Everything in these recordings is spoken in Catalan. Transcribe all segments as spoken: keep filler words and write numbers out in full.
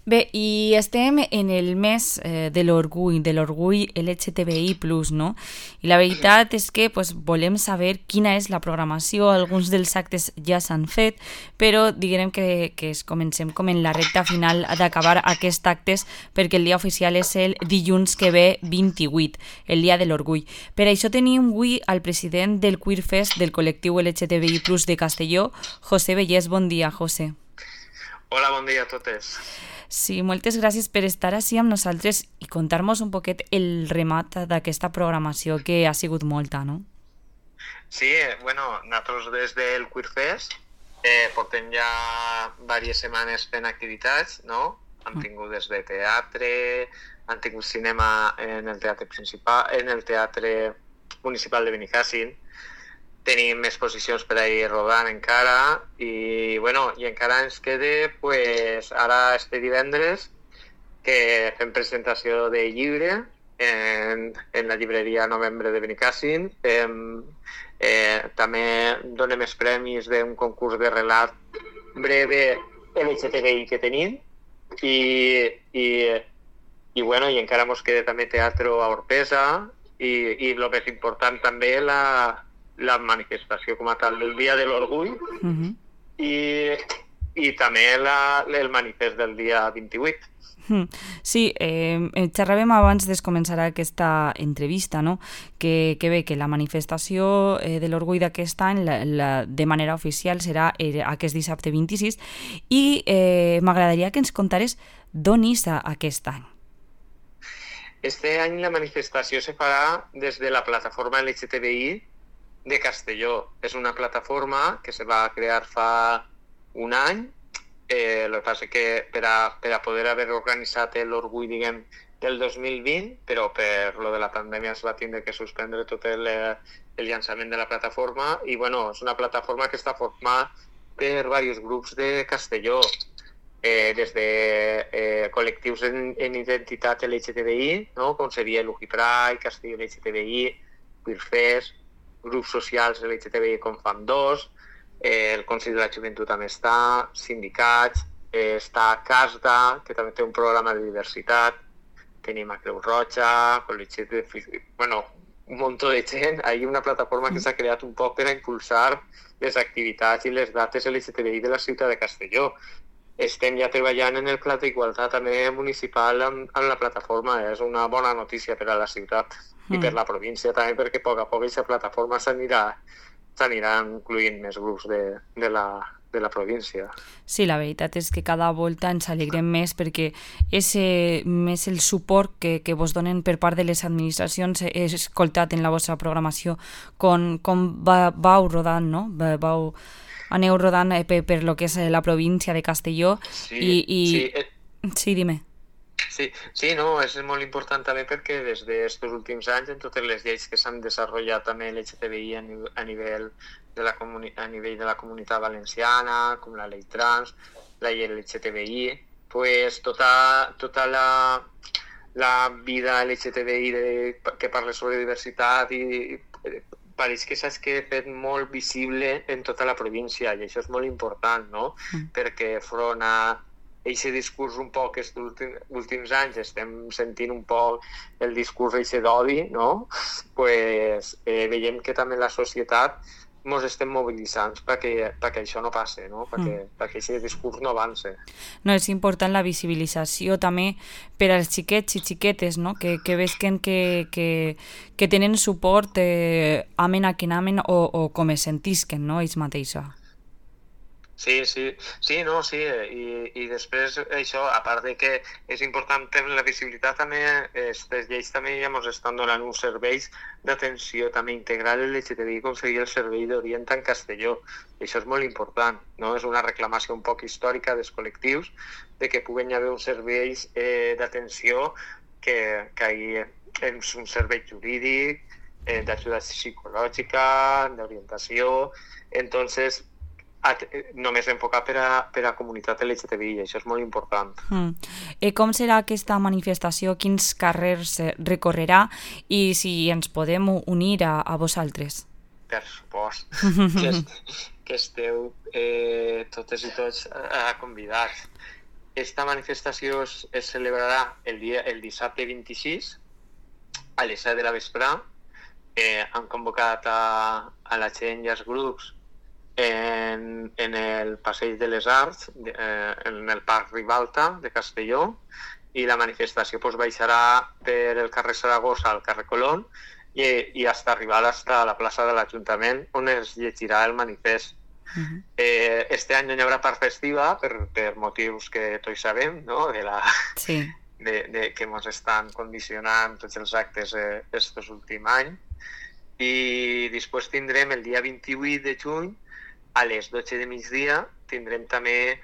Bé, i estem en el mes eh, de l'orgull, de l'orgull L G T B I plus, no? I la veritat és que pues, volem saber quina és la programació, alguns dels actes ja s'han fet, però diguem que, que es comencem com en la recta final d'acabar aquests actes perquè el dia oficial és el dilluns que ve vint-i-vuit, el dia de l'orgull. Per això tenim avui al president del Queer Fest del col·lectiu L G T B I plus de Castelló, José Bellés. Bon dia, José. Hola, bon dia a totes. Sí, moltes gràcies per estar així amb nosaltres i contar-nos un poquet el remat d'aquesta programació que ha sigut molta, no? Sí, eh, bueno, nosaltres des del Queer Fest eh, portem ja diverses setmanes fent activitats, no? Hem tingut des de teatre, han tingut cinema en el teatre principal, en el teatre municipal de Benicàssim, tenim exposicions per ahir rodant encara i, bueno, i encara ens queda, pues, ara este divendres que fem presentació de llibre en, en la llibreria Novembre de Benicàssim. Eh, eh, també donem els premis d'un concurs de relat breve L G T B I que tenim i, i, i, bueno, i encara ens queda també teatre a Orpesa i, i el més important també la la manifestació com a tal del Dia de l'Orgull uh-huh. i, i també la, el manifest del dia vint-i-vuit. Sí, eh, xerràvem abans de començar aquesta entrevista, no? que, que bé, que la manifestació eh, de l'orgull d'aquest any la, la, de manera oficial serà eh, aquest dissabte vint-i-sis i eh, m'agradaria que ens contares d'on és aquest any. Este any la manifestació se farà des de la plataforma L G T B I de Castelló. És una plataforma que se va crear fa un any. Eh, el que passa que per a, per a poder haver organitzat l'orgull, diguem, del dos mil vint, però per lo de la pandèmia es va tindre que suspendre tot el, el llançament de la plataforma i, bueno, és una plataforma que està formada per diversos grups de Castelló, eh, des de eh, col·lectius en, en identitat L G T B I, no? Com seria l'Ugi Pride, Castelló L G T B I, Queer Fest, grups socials L G T B I com Fam dos, eh, el Consell de la Joventut també està, sindicats, eh, està CASDA, que també té un programa de diversitat, tenim a Creu Roja, Col·legi de... bueno, un munt de gent. Hi ha una plataforma que s'ha creat un poc per a impulsar les activitats i les dates L G T B I de la ciutat de Castelló. Estem ja treballant en el pla d'igualtat també municipal amb, amb la plataforma. És una bona notícia per a la ciutat i per la província també, perquè a poc a poc aquesta plataforma s'anirà s'anirà incluint més grups de, de, la, de la província. Sí, la veritat és que cada volta ens alegrem més perquè és eh, més el suport que, que vos donen per part de les administracions. He escoltat en la vostra programació com, com va, vau rodant, no? Vau, aneu rodant eh, per, per lo que és la província de Castelló. Sí, i, i... sí, eh... sí, dime. Sí, sí, no, és molt important també perquè des d'aquests últims anys en totes les lleis que s'han desenvolupat també L G T B I a nivell, a nivell, de, la comuni a nivell de la comunitat valenciana, com la llei trans, la llei L G T B I, pues tota, tota la, la vida L G T B I de, que parla sobre diversitat i, i pareix que s'ha fet molt visible en tota la província i això és molt important, no? Mm. Perquè front a aquest discurs un poc aquests últims, últims anys estem sentint un poc el discurs eixe d'odi, no? Pues, eh, veiem que també la societat ens estem mobilitzant perquè, perquè això no passi, no? Perquè, mm. perquè aquest discurs no avance. No, és important la visibilització també per als xiquets i xiquetes, no? Que, que vesquen que, que, que tenen suport eh, amen a quin amen o, o com es sentisquen, no? Ells mateixos. Sí, sí, sí, no, sí, i, i després això, a part de que és important la visibilitat, també aquestes lleis també ja ens estan donant uns serveis d'atenció també integral L G T B I, com seria el servei d'Orient en Castelló. I això és molt important, no? És una reclamació un poc històrica dels col·lectius de que puguen haver uns serveis eh, d'atenció que, que hi és un servei jurídic, eh, d'ajuda psicològica, d'orientació, entonces només enfocat per a, per a comunitat L G T B I, això és molt important. Mm. Eh, com serà aquesta manifestació? Quins carrers recorrerà? I si ens podem unir a, a vosaltres? Per supost. que, est, que esteu eh, totes i tots eh, convidats. esta manifestació es, es celebrarà el, dia, el dissabte vint-i-sis a les set de la vesprà. Eh, han convocat a, a la gent i als grups en, en el Passeig de les Arts, eh, en el Parc Ribalta de Castelló, i la manifestació pues, baixarà per el carrer Saragossa al carrer Colón i, i hasta arribar hasta la plaça de l'Ajuntament, on es llegirà el manifest. Uh-huh. eh, este any no hi haurà part festiva per, per motius que tots sabem, no? de la... Sí. De, de, que ens estan condicionant tots els actes eh, estos últims anys. I després tindrem el dia vint-i-vuit de juny a les dotze de migdia tindrem també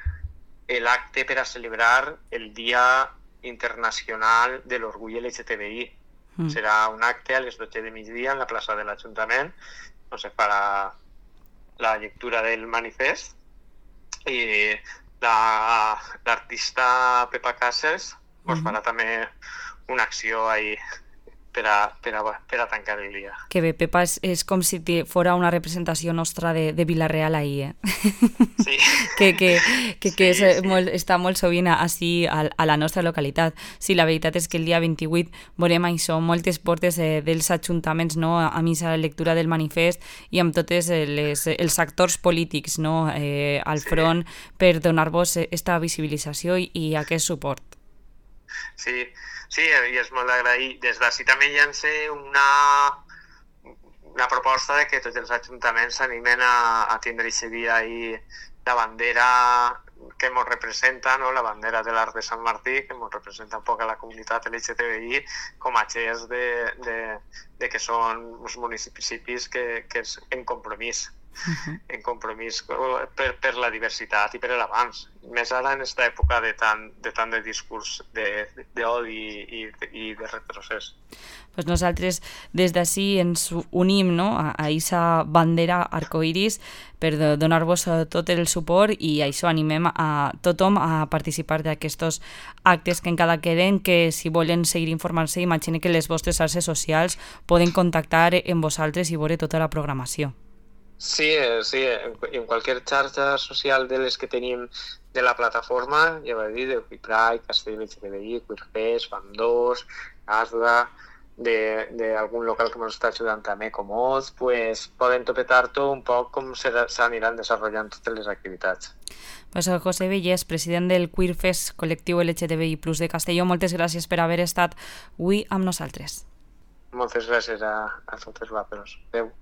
l'acte per a celebrar el Dia Internacional de l'Orgull L G T B I. Mm. Serà un acte a les dotze de migdia en la plaça de l'Ajuntament on se farà la lectura del manifest i l'artista la, Pepa Casas pues, farà també una acció ahí per a, per a, per a tancar el dia. Que bé, Pepa és, és com si fora una representació nostra de, de Vila-real ahir, eh? Sí. que que, que, que sí, és, sí. Molt, està molt sovint així a, a la nostra localitat. Sí, la veritat és que el dia vint-i-vuit veurem això, moltes portes eh, dels ajuntaments, no?, a missa la lectura del manifest i amb tots les, els actors polítics, no?, eh, al front sí. per donar-vos aquesta visibilització i, i aquest suport. Sí, sí, i és molt d'agrair. Des d'ací també llancé una, una proposta de que tots els ajuntaments s'animen a, a tindre aquest dia ahí la bandera que ens representa, no? La bandera de l'Arc de Sant Martí, que ens representa un poc a la comunitat L G T B I, com a gest de, de, de que són uns municipis que, que és en compromís. Uh-huh. En compromís per, per la diversitat i per l'avanç, més ara en aquesta època de tant de, tant de discurs d'odi i, i de retrocés. Pues nosaltres des d'ací ens unim, no?, a aquesta bandera arcoiris per donar-vos tot el suport i això animem a tothom a participar d'aquests actes que encara queden, que si volen seguir informant-se, imagine que les vostres xarxes socials poden contactar amb vosaltres i veure tota la programació. Sí, sí, en qualsevol xarxa social de les que tenim de la plataforma, ja va dir, de Pride, Castell L G T B I, Queerfest, Fan dos, Asda, d'algun local que ens està ajudant també com Oz, pues poden topetar-ho un poc com s'aniran desenvolupant totes les activitats. Pues José Vellés, president del Queerfest col·lectiu L G T B I plus de Castelló, moltes gràcies per haver estat avui amb nosaltres. Moltes gràcies a, a totes vosaltres. Adéu.